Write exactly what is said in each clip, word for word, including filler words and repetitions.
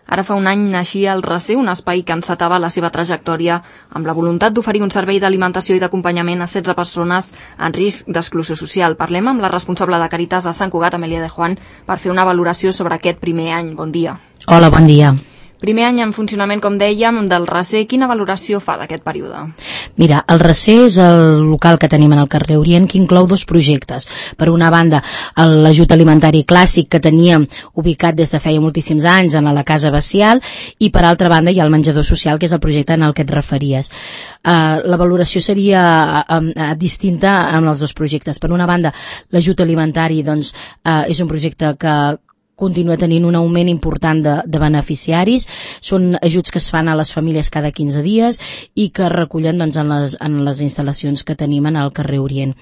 Ara fa un any naixia el Recer, un espai que encetava la seva trajectòria amb la voluntat d'oferir un servei d'alimentació i d'acompanyament a setze persones en risc d'exclusió social. Parlem amb la responsable de Càritas a Sant Cugat, Amèlia de Juan, per fer una valoració sobre aquest primer any. Bon dia. Hola, bon dia. Primer any en funcionament, com dèiem, del Recer. Quina valoració fa d'aquest període? Mira, el Recer és el local que tenim en el carrer Orient, que inclou dos projectes. Per una banda, l'ajut alimentari clàssic que teníem ubicat des de feia moltíssims anys en la Casa Bacial, i per altra banda hi ha el menjador social, que és el projecte en el que et referies. Uh, la valoració seria uh, uh, distinta amb els dos projectes. Per una banda, l'ajut alimentari doncs, uh, és un projecte que continua tenint un augment important de, de beneficiaris. Són ajuts que es fan a les famílies cada quinze dies i que es recullen doncs, en, les, en les instal·lacions que tenim en el carrer Orient.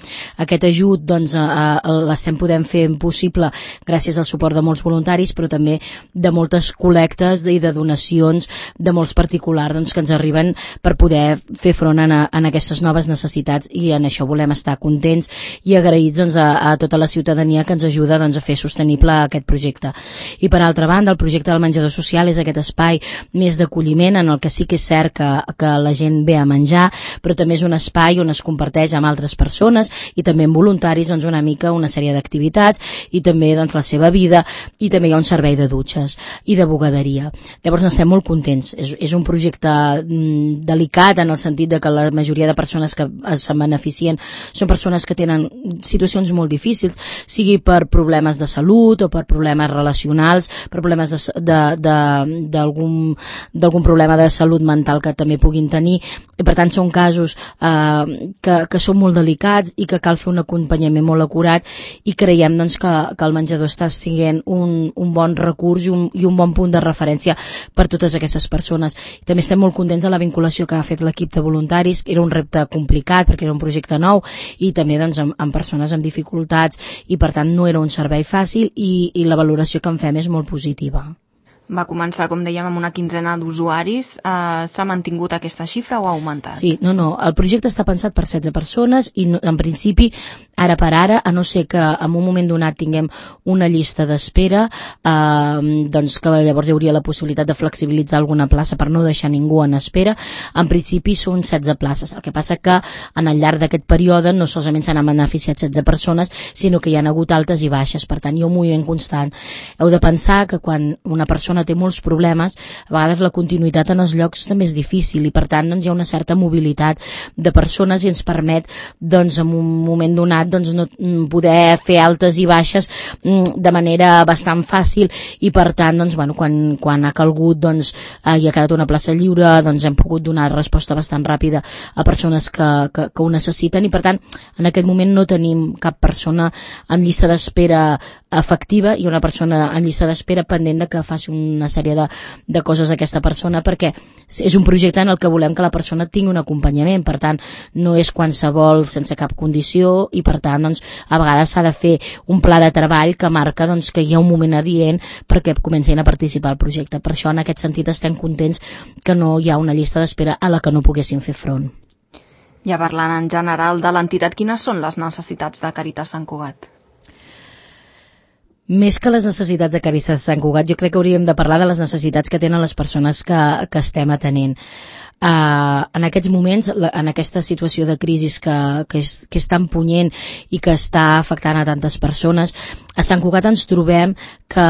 Aquest ajut doncs, eh, l'estem podent fer possible gràcies al suport de molts voluntaris, però també de moltes col·lectes i de donacions de molts particulars doncs, que ens arriben per poder fer front a, a aquestes noves necessitats, i en això volem estar contents i agraïts doncs, a, a tota la ciutadania que ens ajuda doncs, a fer sostenible aquest projecte. I per altra banda, el projecte del menjador social és aquest espai més d'acolliment en el que sí que és cert que, que la gent ve a menjar, però també és un espai on es comparteix amb altres persones i també amb voluntaris doncs, una mica una sèrie d'activitats i també doncs, la seva vida, i també hi ha un servei de dutxes i de bugaderia. Llavors n'estem molt contents. És, és un projecte mm, delicat en el sentit de que la majoria de persones que se'n beneficien són persones que tenen situacions molt difícils, sigui per problemes de salut o per problemes relacionals, problemes d'algun d'algun problema de salut mental que també puguin tenir, i per tant són casos eh, que, que són molt delicats i que cal fer un acompanyament molt acurat, i creiem doncs, que, que el menjador està sent un, un bon recurs i un, i un bon punt de referència per totes aquestes persones. I també estem molt contents de la vinculació que ha fet l'equip de voluntaris. Era un repte complicat perquè era un projecte nou i també doncs, amb, amb persones amb dificultats, i per tant no era un servei fàcil, i, i la valoració que en fem és molt positiva. Va començar, com dèiem, amb una quinzena d'usuaris. Uh, S'ha mantingut aquesta xifra o ha augmentat? Sí, no, no. El projecte està pensat per setze persones i, no, en principi, ara per ara, a no ser que en un moment donat tinguem una llista d'espera, eh, doncs que llavors hi hauria la possibilitat de flexibilitzar alguna plaça per no deixar ningú en espera. En principi són setze places. El que passa que en el llarg d'aquest període no solament s'han beneficiat setze persones, sinó que hi ha hagut altes i baixes. Per tant, hi ha un moviment constant. Heu de pensar que quan una persona té molts problemes, a vegades la continuïtat en els llocs també és difícil, i per tant doncs, hi ha una certa mobilitat de persones i ens permet doncs, en un moment donat doncs, no, poder fer altes i baixes de manera bastant fàcil, i per tant doncs, bueno, quan, quan ha calgut doncs, eh, hi ha quedat una plaça lliure, doncs hem pogut donar resposta bastant ràpida a persones que, que, que ho necessiten, i per tant en aquest moment no tenim cap persona en llista d'espera efectiva i una persona en llista d'espera pendent de que faci una sèrie de, de coses a aquesta persona, perquè és un projecte en el que volem que la persona tingui un acompanyament. Per tant, no és qualsevol sense cap condició, i per tant doncs, a vegades s'ha de fer un pla de treball que marca doncs, que hi ha un moment adient perquè comencin a participar al projecte. Per això, en aquest sentit, estem contents que no hi ha una llista d'espera a la que no poguessin fer front. Ja parlant en general de l'entitat, quines són les necessitats de Càritas Sant Cugat? Més que les necessitats de Càritas Sant Cugat, jo crec que hauríem de parlar de les necessitats que tenen les persones que, que estem atenent. Uh, en aquests moments, la, en aquesta situació de crisi que, que, és, que és tan punyent i que està afectant a tantes persones, a Sant Cugat ens trobem que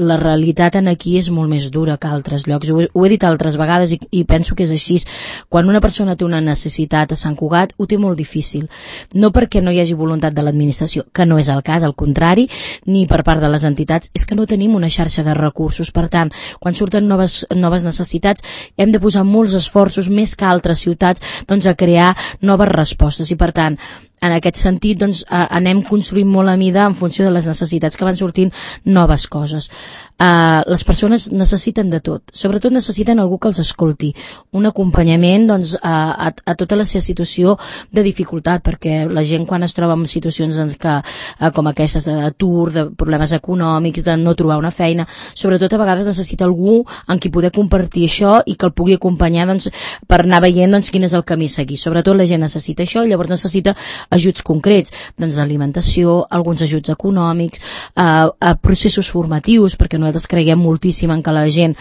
la realitat en aquí és molt més dura que a altres llocs. Ho he, ho he dit altres vegades i, i penso que és així. Quan una persona té una necessitat a Sant Cugat, ho té molt difícil. No perquè no hi hagi voluntat de l'administració, que no és el cas, al contrari, ni per part de les entitats, és que no tenim una xarxa de recursos. Per tant, quan surten noves, noves necessitats, hem de posar molts esforços, més que altres ciutats, doncs, a crear noves respostes, i per tant en aquest sentit doncs, anem construint molt a mida en funció de les necessitats que van sortint noves coses. Uh, les persones necessiten de tot, sobretot necessiten algú que els escolti, un acompanyament doncs, a, a, a tota la seva situació de dificultat, perquè la gent quan es troba en situacions doncs, que, uh, com aquestes d'atur, de problemes econòmics, de no trobar una feina, sobretot a vegades necessita algú amb qui poder compartir això i que el pugui acompanyar doncs, per anar veient doncs, quin és el camí a seguir. Sobretot la gent necessita això, i llavors necessita ajuts concrets, doncs d'alimentació, alguns ajuts econòmics, eh, a processos formatius, perquè nosaltres creiem moltíssim en que la gent,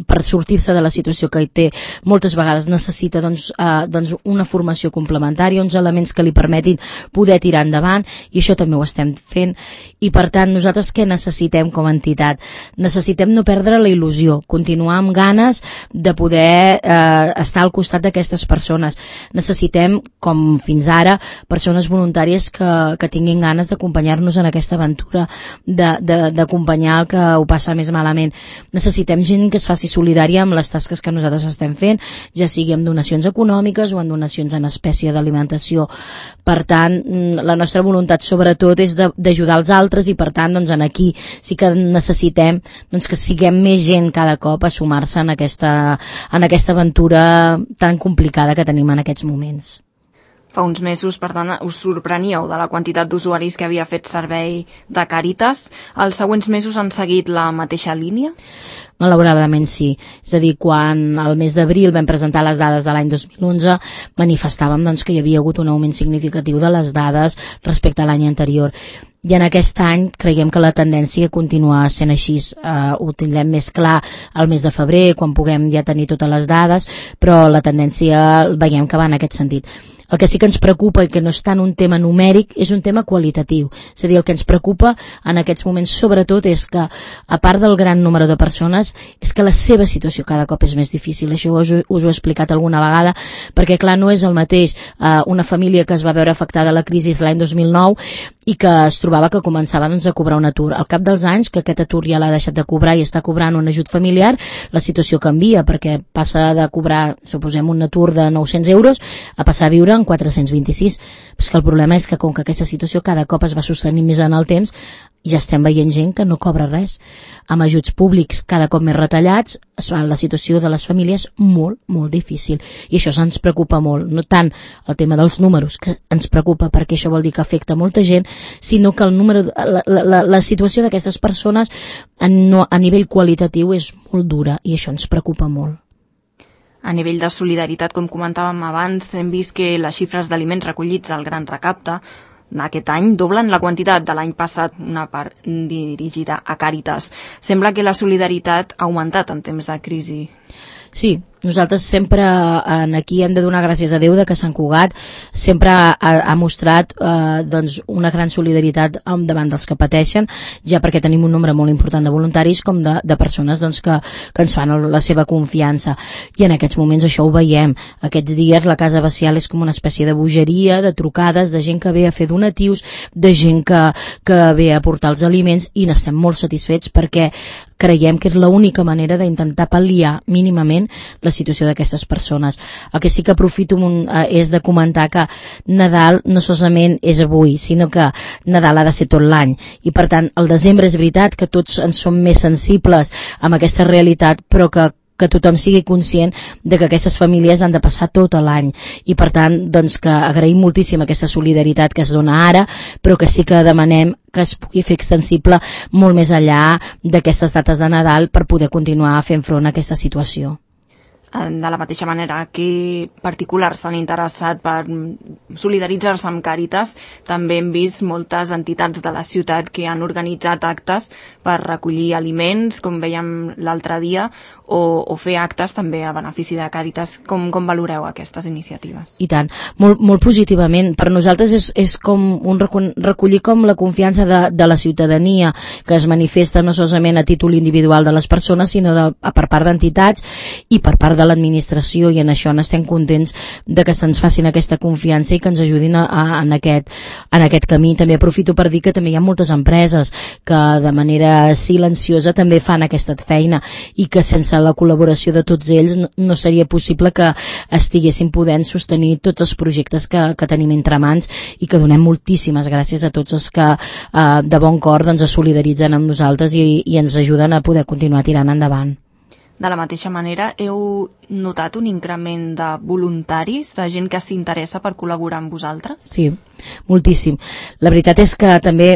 per sortir-se de la situació que hi té, moltes vegades necessita doncs, eh, doncs una formació complementària, uns elements que li permetin poder tirar endavant, i això també ho estem fent. I per tant, nosaltres què necessitem com a entitat? Necessitem no perdre la il·lusió, continuar amb ganes de poder eh, estar al costat d'aquestes persones. Necessitem, com fins ara, persones voluntàries que, que tinguin ganes d'acompanyar-nos en aquesta aventura, d'acompanyar el que ho passa més malament. Necessitem gent que es faci solidària amb les tasques que nosaltres estem fent, ja sigui amb donacions econòmiques o amb donacions en espècie d'alimentació. Per tant, la nostra voluntat sobretot és d'ajudar els altres, i per tant, doncs, en aquí sí que necessitem doncs, que siguem més gent cada cop a sumar-se en aquesta, en aquesta aventura tan complicada que tenim en aquests moments. Fa uns mesos, per tant, us sorpreníeu de la quantitat d'usuaris que havia fet servei de Càritas. Els següents mesos han seguit la mateixa línia? Malauradament sí. És a dir, quan al mes d'abril vam presentar les dades de l'any dos mil onze, manifestàvem doncs, que hi havia hagut un augment significatiu de les dades respecte a l'any anterior. I en aquest any creiem que la tendència continua sent així. Uh, ho tindrem més clar al mes de febrer, quan puguem ja tenir totes les dades, però la tendència veiem que va en aquest sentit. El que sí que ens preocupa, i que no és tant un tema numèric, és un tema qualitatiu. És a dir, el que ens preocupa en aquests moments sobretot és que, a part del gran número de persones, és que la seva situació cada cop és més difícil. Això us, us ho he explicat alguna vegada, perquè clar, no és el mateix eh, una família que es va veure afectada a la crisi l'any dos mil nou i que es trobava que començava doncs, a cobrar un atur. Al cap dels anys, que aquest atur ja l'ha deixat de cobrar i està cobrant un ajut familiar, la situació canvia, perquè passa de cobrar, suposem, un atur de nou-cents euros a passar a viure en quatre-cents vint-i-sis. Però és que el problema és que com que aquesta situació cada cop es va sostenir més en el temps, ja estem veient gent que no cobra res. Amb ajuts públics cada cop més retallats, es fa la situació de les famílies molt, molt difícil. I això ens preocupa molt. No tant el tema dels números, que ens preocupa perquè això vol dir que afecta molta gent, sinó que el número, la, la, la situació d'aquestes persones a, no, a nivell qualitatiu és molt dura, i això ens preocupa molt. A nivell de solidaritat, com comentàvem abans, hem vist que les xifres d'aliments recollits al Gran Recapte aquest any doblen la quantitat de l'any passat, una part dirigida a Càritas. Sembla que la solidaritat ha augmentat en temps de crisi. Sí, nosaltres sempre en aquí hem de donar gràcies a Déu de que Sant Cugat sempre ha, ha mostrat eh, doncs una gran solidaritat davant dels que pateixen, ja perquè tenim un nombre molt important de voluntaris com de, de persones doncs, que, que ens fan la seva confiança, i en aquests moments això ho veiem. Aquests dies la Casa Bacial és com una espècie de bogeria, de trucades, de gent que ve a fer donatius, de gent que, que ve a portar els aliments, i n'estem molt satisfets perquè creiem que és l'única manera d'intentar pal·liar mínimament la situació d'aquestes persones. El que sí que aprofito un, eh, és de comentar que Nadal no solament és avui, sinó que Nadal ha de ser tot l'any, i per tant el desembre és veritat que tots ens som més sensibles amb aquesta realitat, però que que tothom sigui conscient de que aquestes famílies han de passar tot l'any, i per tant doncs, que agraïm moltíssim aquesta solidaritat que es dona ara, però que sí que demanem que es pugui fer extensible molt més enllà d'aquestes dates de Nadal per poder continuar fent front a aquesta situació. De la mateixa manera que particulars s'han interessat per solidaritzar-se amb Càritas, també hem vist moltes entitats de la ciutat que han organitzat actes per recollir aliments, com veiem l'altre dia, o, o fer actes també a benefici de Càritas. Com, com valoreu aquestes iniciatives? I tant, molt, molt positivament. Per nosaltres és, és com un recollir com la confiança de, de la ciutadania, que es manifesta no solament a títol individual de les persones, sinó de, per part d'entitats i per part de l'administració, i en això n'estem contents de que se'ns facin aquesta confiança i que ens ajudin a, a, en, aquest, en aquest camí. També aprofito per dir que també hi ha moltes empreses que de manera silenciosa també fan aquesta feina, i que sense la col·laboració de tots ells no, no seria possible que estiguessin podent sostenir tots els projectes que, que tenim entre mans, i que donem moltíssimes gràcies a tots els que eh, de bon cor doncs, es solidaritzen amb nosaltres i, i ens ajuden a poder continuar tirant endavant. De la mateixa manera, heu notat un increment de voluntaris, de gent que s'interessa per col·laborar amb vosaltres? Sí, moltíssim. La veritat és que també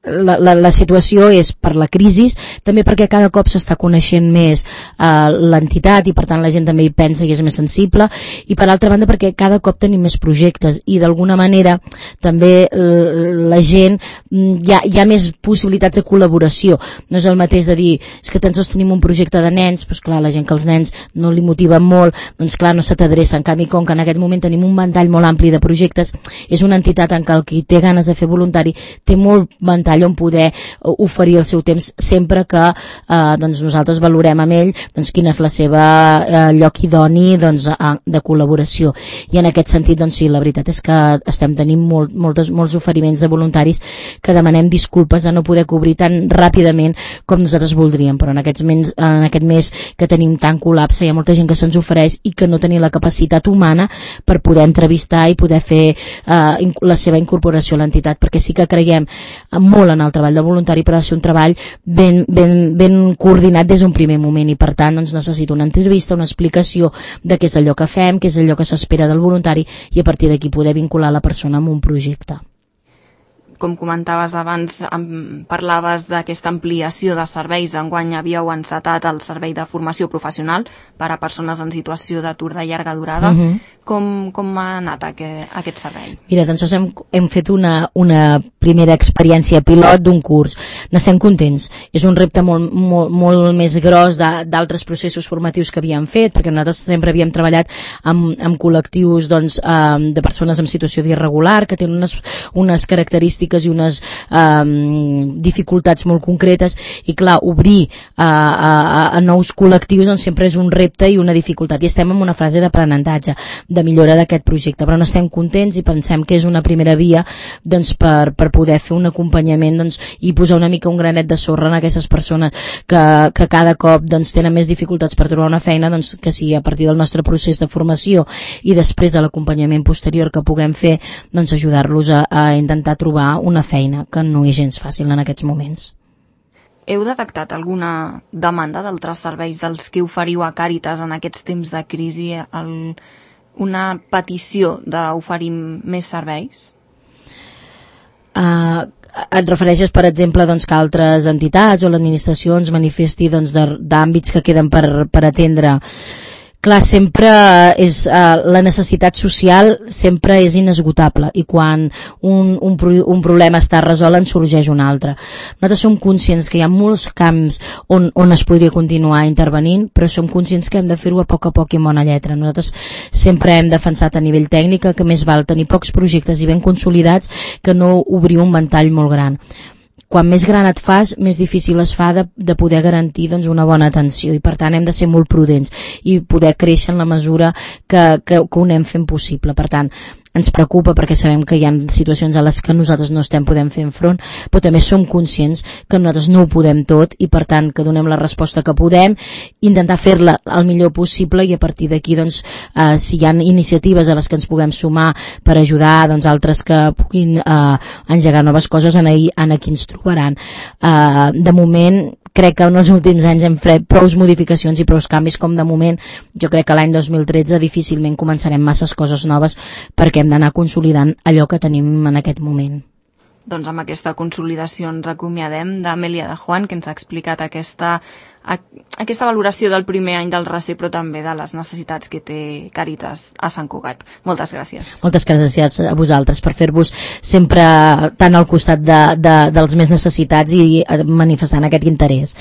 la, la, la situació és per la crisi, també perquè cada cop s'està coneixent més eh, l'entitat i per tant la gent també hi pensa i és més sensible, i per altra banda perquè cada cop tenim més projectes i d'alguna manera també la gent hi ha, hi ha més possibilitats de col·laboració. No és el mateix de dir és que tan sols tenim un projecte de nens, doncs clar, la gent que els nens no li motiven molt, doncs clar, no se t'adreça. En canvi, com que en aquest moment tenim un ventall molt ampli de projectes, és una entitat en què el qui té ganes de fer voluntari té molt ventall on poder oferir el seu temps sempre que eh, doncs nosaltres valorem amb ell doncs quin és la seva eh, lloc idoni doncs, de col·laboració. I en aquest sentit, doncs sí, la veritat és que estem tenint molt, moltes, molts oferiments de voluntaris que demanem disculpes de no poder cobrir tan ràpidament com nosaltres voldríem, però en, aquests mes, en aquest mes que tenim tant col·lapse hi ha molta gent que se'ns ofereix i que no tenim la capacitat humana per poder entrevistar i poder fer eh, la seva incorporació a l'entitat, perquè sí que creiem molt en el treball del voluntari, però ha de ser un treball ben, ben, ben coordinat des d'un primer moment i per tant doncs, necessita una entrevista, una explicació de què és allò que fem, què és allò que s'espera del voluntari i a partir d'aquí poder vincular la persona amb un projecte. Com comentaves abans, parlaves d'aquesta ampliació de serveis. Enguany havíeu encetat el servei de formació professional per a persones en situació d'atur de llarga durada. Uh-huh. Com, com ha anat aquest, aquest servei? Mira, doncs hem, hem fet una, una primera experiència pilot d'un curs. N'estem contents. És un repte molt, molt, molt més gros d'altres processos formatius que havíem fet, perquè nosaltres sempre havíem treballat amb, amb col·lectius doncs, eh, de persones en situació d'irregular, que tenen unes, unes característiques i unes eh, dificultats molt concretes, i clar, obrir a, a, a nous col·lectius doncs, sempre és un repte i una dificultat, i estem en una fase d'aprenentatge, de millora d'aquest projecte, però n'estem contents i pensem que és una primera via doncs, per, per poder fer un acompanyament doncs, i posar una mica un granet de sorra en aquestes persones que, que cada cop doncs, tenen més dificultats per trobar una feina, doncs, que si a partir del nostre procés de formació i després de l'acompanyament posterior que puguem fer, doncs ajudar-los a, a intentar trobar una feina, que no és gens fàcil en aquests moments. Heu detectat alguna demanda d'altres serveis dels que oferiu a Càritas en aquests temps de crisi, el, una petició d'oferir més serveis? Uh, et refereixes, per exemple, doncs, que altres entitats o l'administració ens manifesti doncs, d'àmbits que queden per, per atendre? Clar, sempre és, uh, la necessitat social sempre és inesgotable i quan un, un, un problema està resolt en sorgeix un altre. Nosaltres som conscients que hi ha molts camps on, on es podria continuar intervenint, però som conscients que hem de fer-ho a poc a poc i amb bona lletra. Nosaltres sempre hem defensat a nivell tècnic que més val tenir pocs projectes i ben consolidats que no obrir un ventall molt gran. Quan més gran et fas, més difícil es fa de, de poder garantir doncs, una bona atenció i per tant hem de ser molt prudents i poder créixer en la mesura que, que, que ho anem fent possible. Per tant, ens preocupa perquè sabem que hi ha situacions a les que nosaltres no estem podent fer front, però també som conscients que nosaltres no ho podem tot i per tant que donem la resposta que podem, intentar fer-la el millor possible i a partir d'aquí doncs, eh, si hi ha iniciatives a les que ens puguem sumar per ajudar doncs, altres que puguin eh, engegar noves coses, en, ahir, en aquí ens trobaran. Eh, de moment crec que en els últims anys hem fet prou modificacions i prou canvis com de moment jo crec que l'any dos mil tretze difícilment començarem masses coses noves perquè hem d'anar consolidant allò que tenim en aquest moment. Doncs amb aquesta consolidació ens acomiadem d'Amèlia de Juan, que ens ha explicat aquesta, a, aquesta valoració del primer any del RACE, però també de les necessitats que té Càritas a Sant Cugat. Moltes gràcies. Moltes gràcies a vosaltres per fer-vos sempre tan al costat de, de, dels més necessitats i manifestant aquest interès.